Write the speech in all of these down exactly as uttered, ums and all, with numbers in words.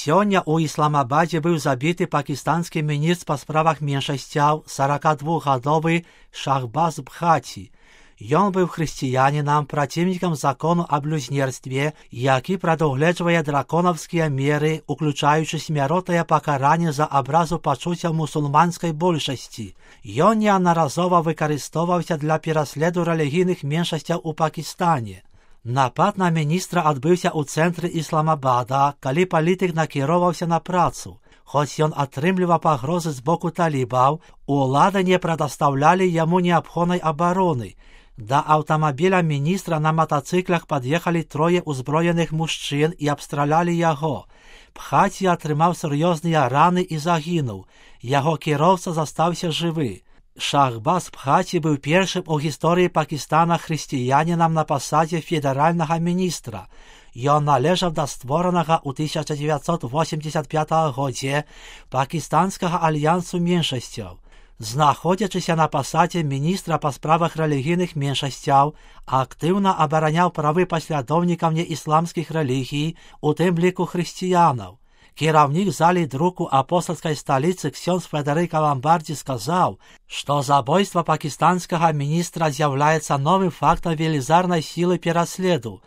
Сёння ў Ісламабадзе быў забіты пакістанскі міністр па справах меншасцяў сорокадвухгадовы Шахбаз Бхати. Ён быў хрысціянінам, праціўнікам закону аб блюзнерстве, які прадугледжвае драконаўскія меры, уключаючы смяротнае пакаранне за абразу пачуццяў мусульманскай большасці. Ён неаднаразова выкарыстоўваўся для пераследу рэлігійных меншасцяў у Пакістане. Напад на міністра адбыўся ў цэнтры Ісламабада, калі палітык накіроўваўся на працу. Хоць ён атрымліваў пагрозы з боку талібаў, улады не прадастаўлялі яму неабходнай абароны. Да аўтамабіля міністра на матацыклах пад'ехалі трое ўзброеных мужчын і абстралялі яго. Бхати атрымаў сур'ёзныя раны і загінуў. Яго кіроўца застаўся жывы. Шахбаз Бхати быў першым у гісторыі Пакістана хрысціянінам на пасадзе федэральнага міністра. Ён належаў да створанага ў тысяча дзевяцьсот восемьдесят пятым годзе Пакістанскага альянсу меншасцяў. Знаходзячыся на пасадзе міністра па справах рэлігійных меншасцяў, актыўна абараняў правы паслядоўнікаў неісламскіх рэлігій, у тым ліку хрысціянаў. Кіраўнік залі друку апостольскай сталіцы ксёндз Федэрыка Ламбардзі сказаў, што забойства пакістанскага міністра з'яўляецца новым фактам велізарнай сілы пераследу.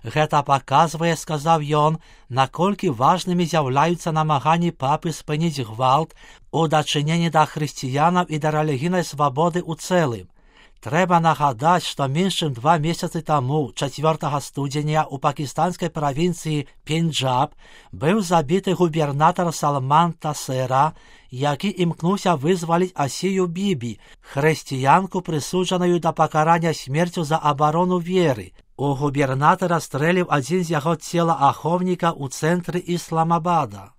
Гэта паказвае, сказаў ён, наколькі важнымі з'яўляюцца намаганні папы спыніць гвалт у дачыненні да хрысціянаў і да рэлігійнай свабоды ў цэлым. Трэба нагадаць, што менш чым два месяцы таму, чацвёртага студзеня, у пакістанскай правінцыі Пенджаб быў забіты губернатар Салман Тасера, які імкнуўся вызваліць Асію Бібі, хрысціянку, прысуджаную да пакарання смерцю за абарону веры. У губернатара стрэліў адзін з яго целаахоўнікаў у цэнтры Ісламабада.